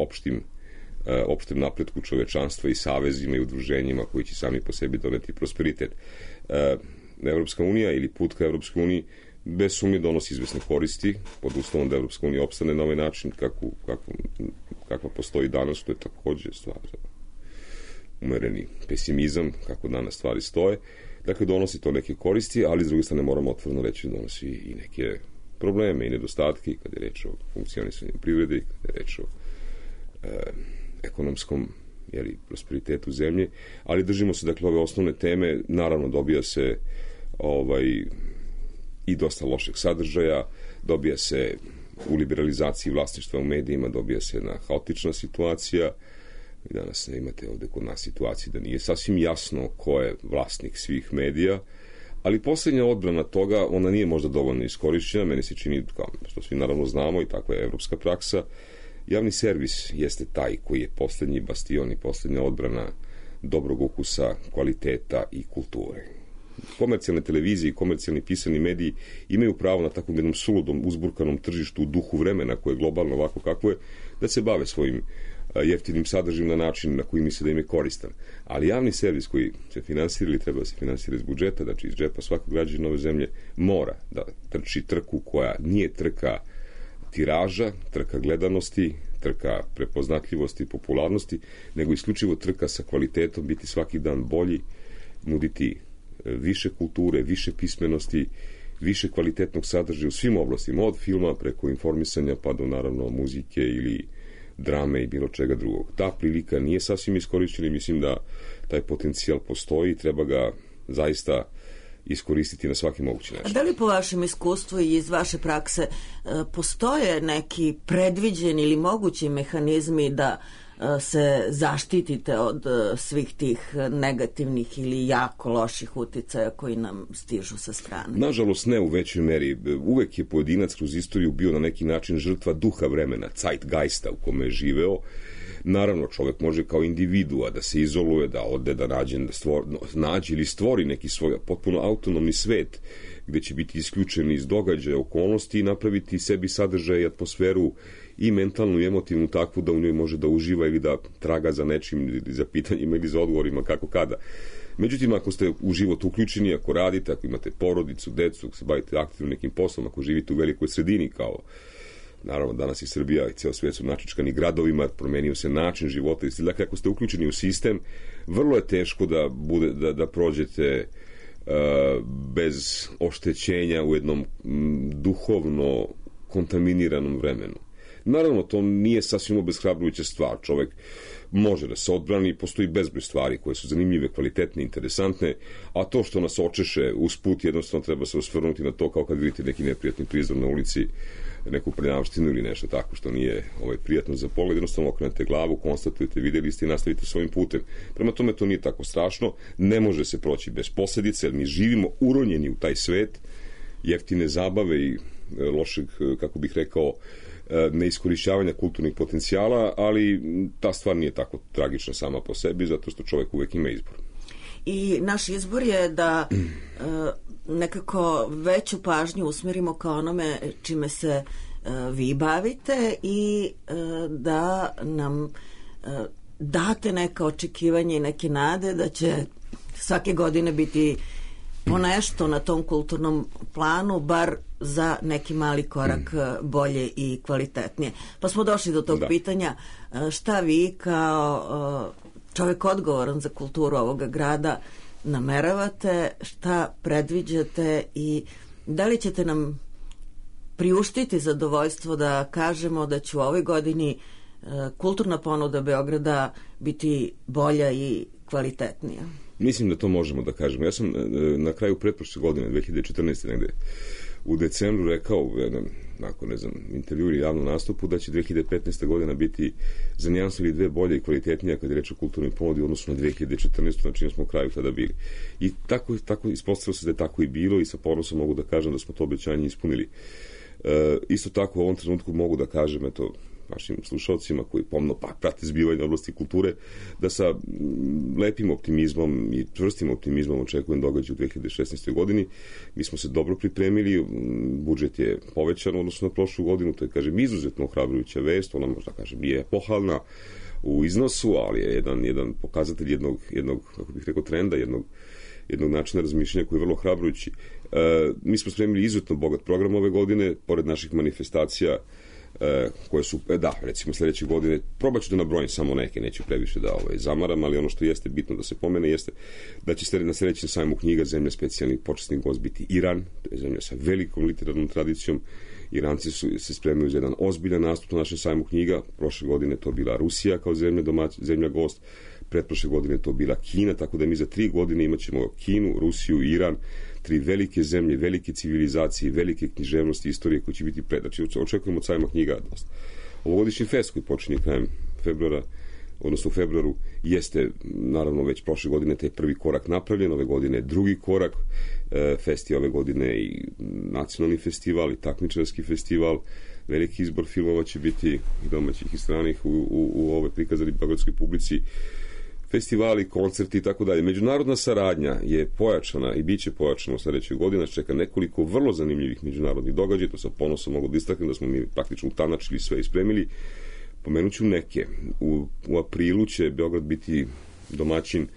Speaker 5: opštem napretku čovečanstva i savezima i udruženjima koji će sami po sebi doneti prosperitet. Evropska unija ili put ka Evropskoj uniji bez sumnje donosi izvesne koristi pod uslovom da Evropska unija opstane na ovaj način kakva postoji danas, to je takođe stvar umereni pesimizam kako danas stvari stoje. Dakle, donosi to neke koristi, ali s druge strane moramo otvoreno reći da donosi i neke probleme i nedostatke kada je reč o funkcionisanju privrede, kada je reč o ekonomskom prosperitetu zemlje, ali držimo se dakle ove osnovne teme, naravno dobija se i dosta lošeg sadržaja, dobija se u liberalizaciji vlasništva u medijima, dobija se jedna haotična situacija. I danas imate ovde kod nas situaciju da nije sasvim jasno ko je vlasnik svih medija, ali poslednja odbrana toga, ona nije možda dovoljno iskorišćena, meni se čini, kao što svi naravno znamo i takva je evropska praksa, javni servis jeste taj koji je poslednji bastion i poslednja odbrana dobrog ukusa, kvaliteta i kulture. Komercijalne televizije i komercijalni pisani mediji imaju pravo na takvom jednom suludom, uzburkanom tržištu u duhu vremena koje je globalno ovako kako je, da se bave svojim jeftinim sadržajem na način na koji misle da im je koristan. Ali javni servis koji se finansira ili treba da se finansira iz budžeta, znači iz džepa svakog građana ove zemlje, mora da trči trku koja nije trka tiraža, trka gledanosti, trka prepoznatljivosti i popularnosti, nego isključivo trka sa kvalitetom, biti svaki dan bolji, nuditi više kulture, više pismenosti, više kvalitetnog sadržaja u svim oblastima, od filma preko informisanja pa do naravno muzike ili drame i bilo čega drugog. Ta prilika nije sasvim iskorišćena i mislim da taj potencijal postoji i treba ga zaista iskoristiti na svaki mogući način.
Speaker 1: A da li po vašem iskustvu i iz vaše prakse postoje neki predviđeni ili mogući mehanizmi da se zaštitite od svih tih negativnih ili jako loših uticaja koji nam stižu sa strane?
Speaker 5: Nažalost, ne u većoj meri. Uvek je pojedinac kroz istoriju bio na neki način žrtva duha vremena, zeitgeista u kome je živeo. Naravno, čovjek može kao individua da se izoluje, da ode, da nađe ili stvori neki svoj potpuno autonomni svet gde će biti isključeni iz događaja, okolnosti i napraviti sebi sadržaj i atmosferu i mentalnu i emotivnu takvu da u njoj može da uživa ili da traga za nečim ili za pitanjima ili za odgovorima kako kada. Međutim, ako ste u život uključeni, ako radite, ako imate porodicu, decu, ako se bavite aktivno nekim poslom, ako živite u velikoj sredini kao naravno danas i Srbija i ceo svet su načičkani gradovima, promenio se način života. Dakle, ako ste uključeni u sistem, vrlo je teško da prođete bez oštećenja u jednom duhovno kontaminiranom vremenu. Naravno, to nije sasvim obeshrabrujuća stvar. Čovek može da se odbrani, postoji bezbroj stvari koje su zanimljive, kvalitetne, interesantne, a to što nas očeše usput, jednostavno treba se osvrnuti na to kao kad vidite neki neprijatni prizor na ulici, neku prljavštinu ili nešto tako što nije prijatno za pogled, jednostavno okrenete glavu, konstatujete, vidjeli ste i nastavite svojim putem. Prema tome to nije tako strašno, ne može se proći bez posljedice, jer mi živimo uronjeni u taj svet jeftine zabave i lošeg, kako bih rekao, neiskorišćavanja kulturnih potencijala, ali ta stvar nije tako tragična sama po sebi, zato što čovjek uvek ima izbor.
Speaker 1: I naš izbor je da nekako veću pažnju usmerimo ka onome čime se vi bavite i da nam date neka očekivanja i neke nade da će svake godine biti ponešto na tom kulturnom planu, bar za neki mali korak bolje i kvalitetnije. Pa smo došli do tog pitanja, šta vi kao čovjek odgovoran za kulturu ovoga grada nameravate, šta predviđate i da li ćete nam priuštiti zadovoljstvo da kažemo da će u ovoj godini kulturna ponuda Beograda biti bolja i kvalitetnija?
Speaker 5: Mislim da to možemo da kažemo. Ja sam na kraju pretprošle godine, 2014. negde, u decembru rekao u jednom, intervju ili javnom nastupu da će 2015. godina biti za nijansu ili dve bolje i kvalitetnija kad je reč o kulturnoj ponudi u odnosu na 2014. na čim smo u kraju tada bili. I tako ispostavilo se da je tako i bilo i sa ponosom mogu da kažem da smo to obećanje ispunili. Isto tako u ovom trenutku mogu da kažem, eto, našim slušalcima koji pomno prate zbivanje oblasti kulture, da sa lepim optimizmom i čvrstim optimizmom očekujem događaj u 2016. godini. Mi smo se dobro pripremili, budžet je povećan odnosno na prošlu godinu, to je, kažem, izuzetno ohrabrujuća vest, ona možda, kažem, nije pohvalna u iznosu, ali je jedan pokazatelj jednog, kako bih rekao, trenda, jednog načina razmišljanja koji je vrlo hrabrujući. Mi smo spremili izuzetno bogat program ove godine, pored naših manifestacija koje su, recimo sljedeće godine, probat ću da nabrojim samo neke, neću previše da zamaram, ali ono što jeste bitno da se pomene jeste da će na sljedećem sajmu knjiga zemlja specijalnih počasnih gost biti Iran, to je zemlja sa velikom literarnom tradicijom. Iranci se spremaju za jedan ozbiljan nastup na našem sajmu knjiga. Prošle godine to bila Rusija kao zemlja gost, pretprošle godine to bila Kina, tako da mi za 3 godine imat ćemo Kinu, Rusiju i Iran, 3 velike zemlje, velike civilizacije, velike književnosti, istorije koje će biti predači. Očekujemo od sajma knjiga dosta. Ovogodišnji fest koji počinje krajem februara, odnosno u februaru, jeste naravno već prošle godine taj prvi korak napravljen, ove godine drugi korak. Fest je ove godine i nacionalni festival i takmičarski festival. Veliki izbor filmova će biti i domaćih i stranih u ove prikazani beogradskoj publici. Festivali, koncerti i tako dalje. Međunarodna saradnja je pojačana i bit će pojačana u sljedećoj godini. Čeka nekoliko vrlo zanimljivih međunarodnih događaja. To sa ponosom mogu da istaknem da smo mi praktično utanačili sve i spremili. Pomenut ću neke. U aprilu će Beograd biti domaćin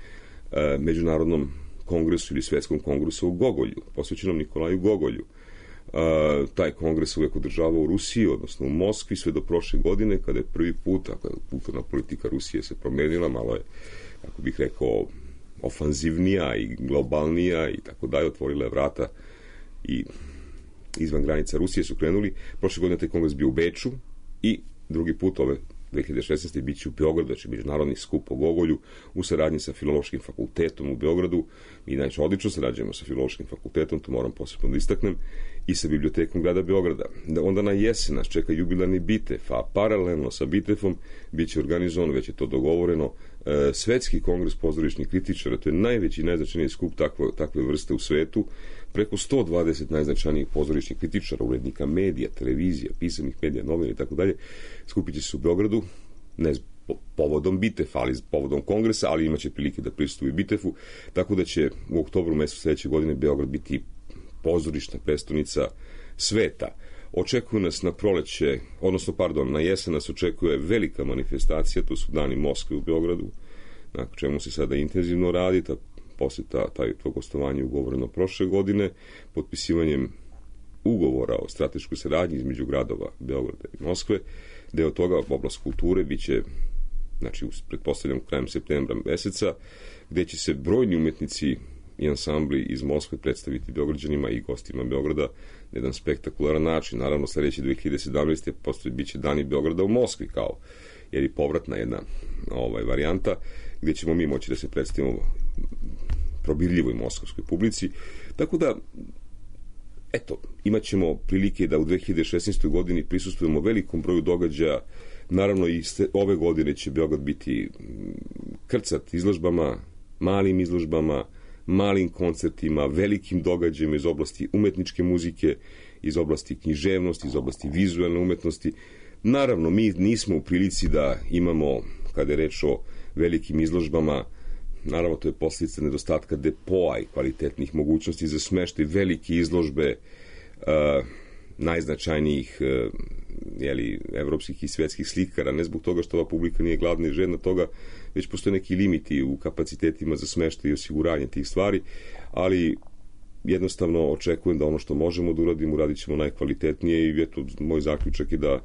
Speaker 5: međunarodnom kongresu ili svetskom kongresu u Gogolju, posvećenom Nikolaju Gogolju. Taj kongres uvek održava u Rusiji, odnosno u Moskvi, sve do prošle godine, kada je prvi put, kulturna politika Rusije se promenila, malo je, kako bih rekao, ofanzivnija i globalnija i tako dalje, otvorila je vrata i izvan granica Rusije su krenuli. Prošle godine taj kongres bio u Beču i drugi put ove 2016. bit će u Beogradu, znači međunarodni skup o Gogolju u saradnji sa Filološkim fakultetom u Beogradu. Mi najče odlično sarađujemo sa Filološkim fakultetom, to moram posebno da istaknem, i sa Bibliotekom grada Beograda. Onda na jesen nas čeka jubilarni Bitef, a paralelno sa Bitefom bit će organizovan, već je to dogovoreno, Svetski kongres pozorišnih kritičara. To je najveći i najznačajniji skup takve vrste u svetu. Preko 120 najznačajnijih pozorišnih kritičara, urednika medija, televizija, pisanih medija, novina i tako dalje, skupit će se u Beogradu, ne povodom Bitefa, ali povodom kongresa, ali imaće prilike da pristupi Bitefu, tako da će u oktobru mesecu sledeće godine Beograd biti pozorišna prestonica sveta. Očekuju nas na proleće, na jesen nas očekuje velika manifestacija, to su Dani Moskve u Beogradu, na čemu se sada intenzivno radi, posle to gostovanje ugovoreno prošle godine, potpisivanjem ugovora o strateškoj saradnji između gradova Beograda i Moskve. Deo toga, oblast kulture, biće, znači, pretpostavljam krajem septembra meseca, gde će se brojni umetnici i ansambli iz Moskve predstaviti Beograđanima i gostima Beograda na jedan spektakularan način. Naravno, sledeće 2017. biće Dani Beograda u Moskvi, jer je povratna jedna varijanta, gde ćemo mi moći da se predstavimo probirljivoj moskovskoj publici. Tako da, imat ćemo prilike da u 2016. godini prisustvujemo velikom broju događaja. Naravno, i ove godine će Beograd biti krcat izložbama, malim izložbama, malim koncertima, velikim događajima iz oblasti umetničke muzike, iz oblasti književnosti, iz oblasti vizualne umetnosti. Naravno, mi nismo u prilici da imamo, kada je reč o velikim izložbama, naravno to je posljedica nedostatka depoa i kvalitetnih mogućnosti za smeštaj velike izložbe najznačajnijih evropskih i svetskih slikara, ne zbog toga što ova publika nije gladna i žedna toga, već postoje neki limiti u kapacitetima za smeštaj i osiguranje tih stvari, ali jednostavno očekujem da ono što možemo da uradimo, uradit ćemo najkvalitetnije i eto, moj zaključak je da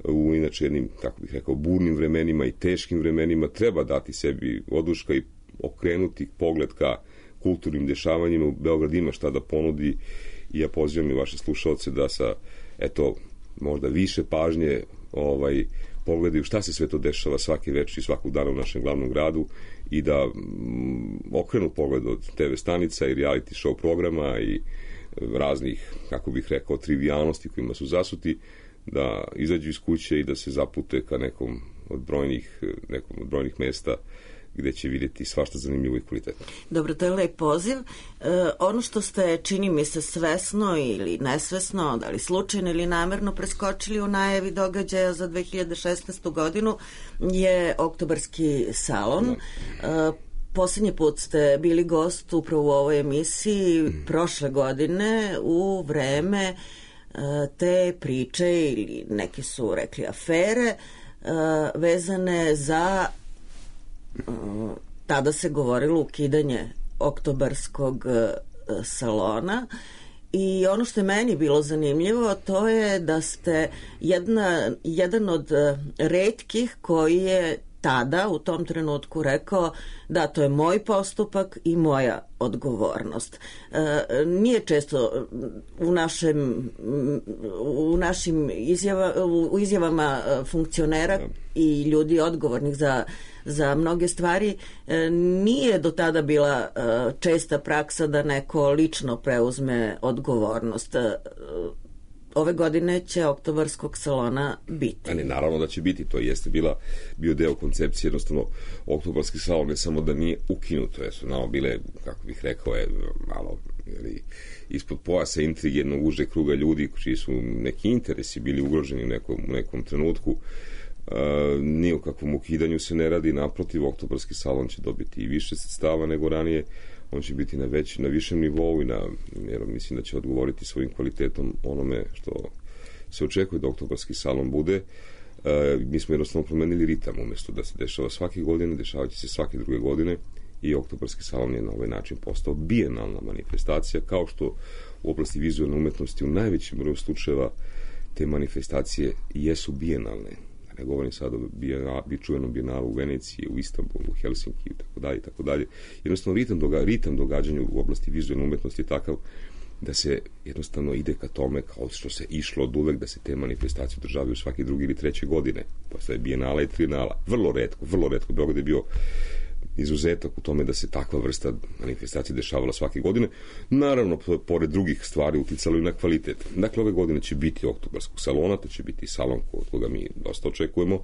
Speaker 5: u inače jednim, kako bih rekao, burnim vremenima i teškim vremenima treba dati sebi oduška i okrenuti pogled ka kulturnim dešavanjima. Beograd ima šta da ponudi i ja pozivam i vaše slušalce da sa, možda više pažnje pogledaju šta se sve to dešava svake večeri i svakog dana u našem glavnom gradu i da okrenu pogled od TV stanica i reality show programa i raznih, kako bih rekao, trivijalnosti kojima su zasuti, da izađu iz kuće i da se zapute ka nekom od brojnih mesta gde će vidjeti svašta zanimljivo i kvalitetno.
Speaker 1: Dobro, to je lep poziv. Ono što ste, čini mi se, svesno ili nesvesno, da li slučajno ili namerno preskočili u najavi događaja za 2016. godinu je Oktobarski salon. Poslednji put ste bili gost upravo u ovoj emisiji prošle godine u vreme te priče, ili neki su rekli afere, vezane za, tada se govorilo ukidanje Oktobarskog salona. I ono što je meni bilo zanimljivo, to je da ste jedan od retkih koji je tada, u tom trenutku rekao da to je moj postupak i moja odgovornost. Nije često u našim izjavama funkcionera i ljudi odgovornih za mnoge stvari, nije do tada bila česta praksa da neko lično preuzme odgovornost. Ove godine će Oktobarskog salona biti.
Speaker 5: Ali naravno da će biti, to jeste bio deo koncepcije, jednostavno Oktobarski salon ne samo da nije ukinuto, jer su bile, kako bih rekao, malo ispod pojasa intrige jednog užeg kruga ljudi čiji su neki interesi bili ugroženi u nekom trenutku. Nije u kakvom ukidanju se ne radi, naprotiv, Oktobarski salon će dobiti i više sredstava nego ranije, on će biti na višem nivou jer mislim da će odgovoriti svojim kvalitetom onome što se očekuje da Oktobarski salon bude. Mi smo jednostavno promenili ritam, umjesto da se dešava svake godine, dešavaće se svake druge godine i Oktobarski salon je na ovaj način postao bijenalna manifestacija, kao što u oblasti vizualne umetnosti u najvećem broju slučajeva te manifestacije jesu bijenalne. Ne govorim sad o čuvenom bijenalu u Veneciji, u Istanbulu, u Helsinki i tako dalje. Jednostavno, ritam događanja u oblasti vizualne umetnosti je takav da se jednostavno ide ka tome kao što se išlo od uvek, da se te manifestacije održavaju svake druge ili treće godine. Posle bijenala i trinala. Vrlo retko. Beograd je bio izuzetak u tome da se takva vrsta manifestacije dešavala svake godine. Naravno, pored drugih stvari uticalo i na kvalitet. Dakle, ove godine će biti oktobarskog salona, to će biti salon koga mi dosta očekujemo.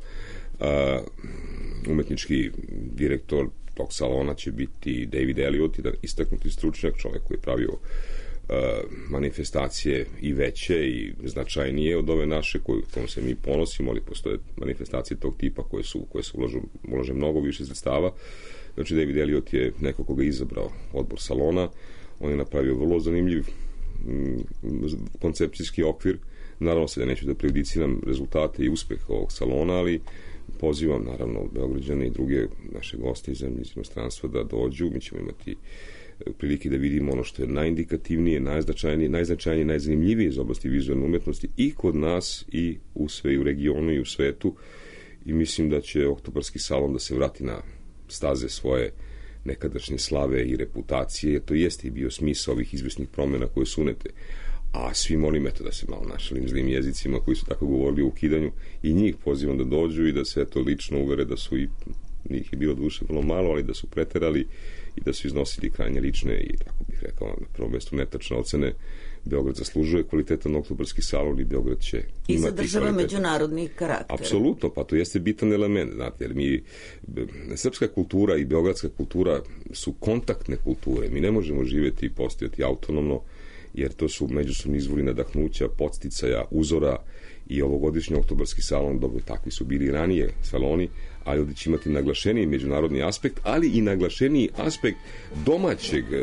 Speaker 5: Umetnički direktor tog salona će biti David Elliot, jedan istaknuti stručnjak, čovjek koji je pravio manifestacije i veće i značajnije od ove naše kojom se mi ponosimo, ali postoje manifestacije tog tipa koje su ulaže mnogo više sredstava. Znači, David Elliot je neko koga je izabrao odbor salona. On je napravio vrlo zanimljiv koncepcijski okvir. Naravno, sad ja neću da prejudiciram rezultate i uspeh ovog salona, ali pozivam, naravno, Beograđane i druge naše goste iz inostranstva da dođu. Mi ćemo imati prilike da vidimo ono što je najindikativnije, najznačajnije, najzanimljivije iz oblasti vizualne umetnosti i kod nas i u regionu i u svetu. I mislim da će oktobarski salon da se vrati na staze svoje nekadašnje slave i reputacije, jer to jeste i bio smisao ovih izvesnih promjena koje su unete. A svi molim, eto, da se malo našalim zlim jezicima koji su tako govorili o ukidanju, i njih pozivam da dođu i da se to lično uvere da su i njih je bilo duše vrlo malo, ali da su preterali i da su iznosili krajnje lične i, tako bih rekao, na prvom mjestu netačne ocene. Beograd zaslužuje kvalitetan oktobarski salon i Beograd će imati
Speaker 1: i zadržava međunarodni karakter.
Speaker 5: Apsolutno, pa to jeste bitan element, znate, jer mi, srpska kultura i beogradska kultura su kontaktne kulture. Mi ne možemo živjeti i postojati autonomno, jer to su međusobni izvori nadahnuća, podsticaja, uzora, i ovogodišnji oktobarski salon, dobro, takvi su bili ranije saloni, ali ovdje će imati naglašeniji međunarodni aspekt, ali i naglašeniji aspekt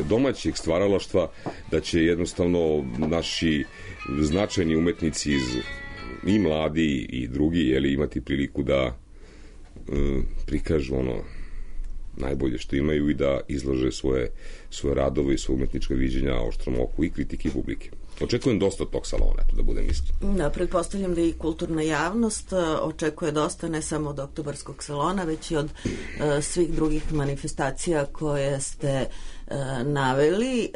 Speaker 5: domaćeg stvaralaštva, da će jednostavno naši značajni umetnici i mladi i drugi imati priliku da prikažu ono najbolje što imaju i da izlože svoje radove i svoje umetnička viđenja oštrom oku i kritike i publike. Očekujem dosta od tog salona, da budem iskren.
Speaker 1: Da, pretpostavljam da i kulturna javnost očekuje dosta, ne samo od oktobarskog salona, već i od svih drugih manifestacija koje ste naveli.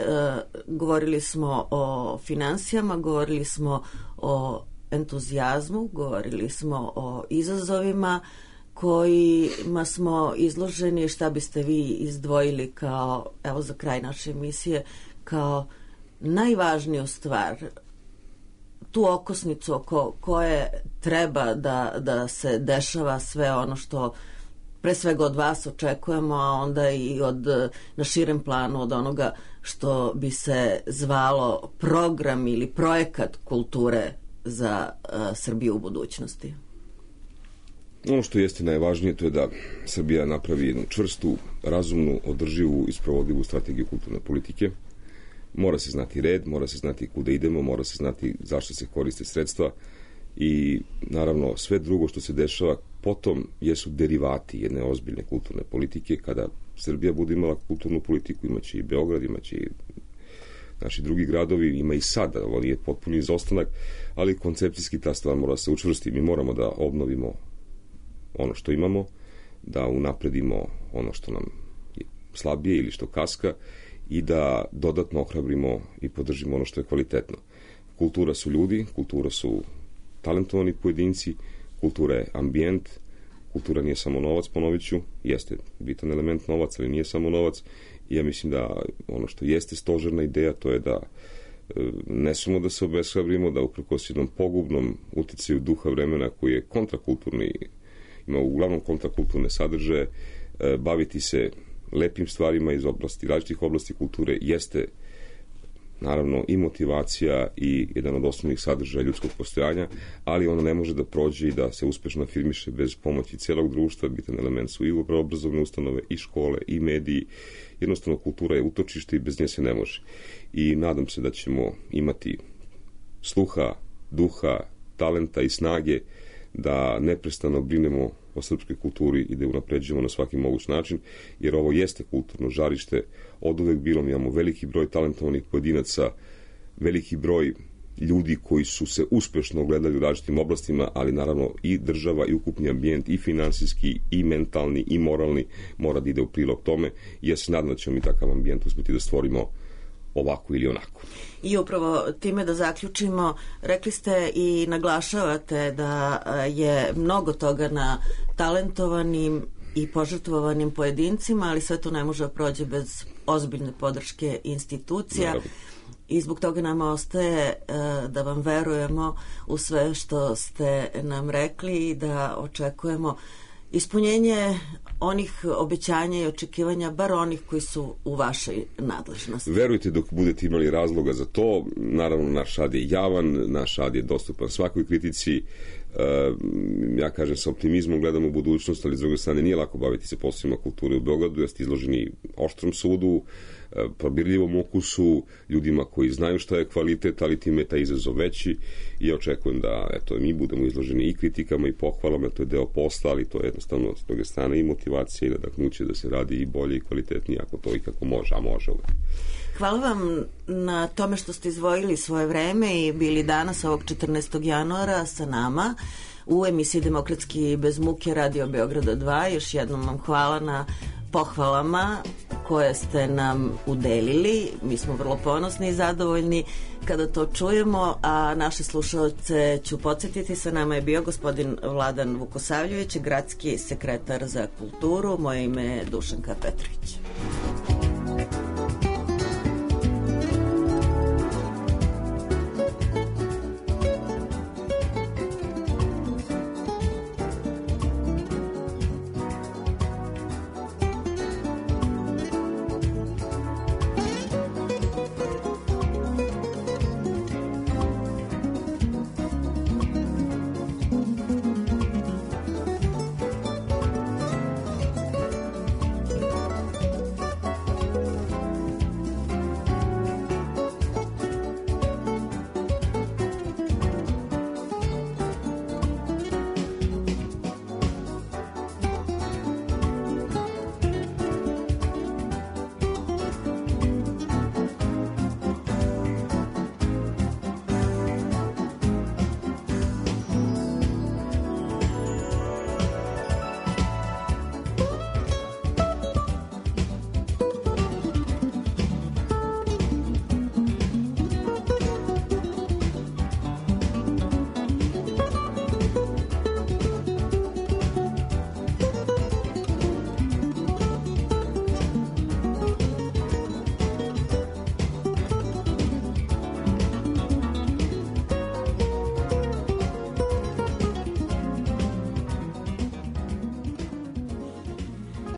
Speaker 1: Govorili smo o finansijama, govorili smo o entuzijazmu, govorili smo o izazovima kojima smo izloženi. Šta biste vi izdvojili kao, evo za kraj naše emisije, kao najvažniju stvar, tu okosnicu oko koje treba da se dešava sve ono što pre svega od vas očekujemo, a onda i na širem planu od onoga što bi se zvalo program ili projekat kulture za Srbiju u budućnosti?
Speaker 5: Ono što jeste najvažnije, to je da Srbija napravi jednu čvrstu, razumnu, održivu i sprovodivu strategiju kulturne politike. Mora se znati red, mora se znati kuda idemo, mora se znati zašto se koriste sredstva i naravno sve drugo što se dešava potom jesu derivati jedne ozbiljne kulturne politike. Kada Srbija bude imala kulturnu politiku, imaće i Beograd, imaće i naši drugi gradovi, ima i sada, ovo nije potpuni izostanak, ali koncepcijski ta stvar mora se učvrsti. Mi moramo da obnovimo ono što imamo, da unapredimo ono što nam je slabije ili što kaska i da dodatno ohrabrimo i podržimo ono što je kvalitetno. Kultura su ljudi, kultura su talentovani pojedinci, kultura je ambijent, kultura nije samo novac, ponovit ću, jeste bitan element novac, ali nije samo novac, i ja mislim da ono što jeste stožerna ideja, to je da ne samo da se obeshrabrimo, da uprkos jednom pogubnom uticaju duha vremena koji je kontrakulturni, ima uglavnom kontrakulturne sadržaje, baviti se lepim stvarima iz različitih oblasti kulture jeste naravno i motivacija i jedan od osnovnih sadržaja ljudskog postojanja, ali ono ne može da prođe i da se uspešno afirmiše bez pomoći celog društva. Bitan element su i obrazovne ustanove, i škole, i mediji. Jednostavno, kultura je utočište i bez nje se ne može. I nadam se da ćemo imati sluha, duha, talenta i snage da neprestano brinemo o srpskoj kulturi i da je unapređujemo na svaki moguć način, jer ovo jeste kulturno žarište. Od uvek bilo, mi imamo veliki broj talentovanih pojedinaca, veliki broj ljudi koji su se uspešno ogledali u različitim oblastima, ali naravno i država i ukupni ambijent, i finansijski, i mentalni, i moralni mora da ide u prilog tome, i ja se nadam da ćemo mi takav ambijent uspeti da stvorimo ovako ili onako.
Speaker 1: I upravo time da zaključimo, rekli ste i naglašavate da je mnogo toga na talentovanim i požrtvovanim pojedincima, ali sve to ne može da prođe bez ozbiljne podrške institucija.
Speaker 5: Naravno.
Speaker 1: I zbog toga nama ostaje da vam verujemo u sve što ste nam rekli i da očekujemo ispunjenje onih obećanja i očekivanja, bar onih koji su u vašoj nadležnosti.
Speaker 5: Verujte dok budete imali razloga za to. Naravno, naš rad je javan, naš rad je dostupan svakoj kritici. Ja kažem, sa optimizmom gledam u budućnost, ali s druge strane nije lako baviti se poslovima kulture u Beogradu, jer ste izloženi oštrom sudu, probirljivom ukusu, ljudima koji znaju šta je kvalitet, ali time je taj izazov veći i ja očekujem da mi budemo izloženi i kritikama i pohvalama, to je deo posla, ali to je jednostavno s druge strane i motivacija i nadahnuće da se radi i bolje i kvalitetnije ako to i kako može, a može uvek.
Speaker 1: Hvala vam na tome što ste izdvojili svoje vreme i bili danas ovog 14. januara sa nama u emisiji Demokratski bez muke Radio Beograda 2. Još jednom vam hvala na pohvalama koje ste nam udelili. Mi smo vrlo ponosni i zadovoljni kada to čujemo, a naše slušalce ću podsjetiti, sa nama je bio gospodin Vladan Vukosavljević, gradski sekretar za kulturu. Moje ime je Dušanka Petrović.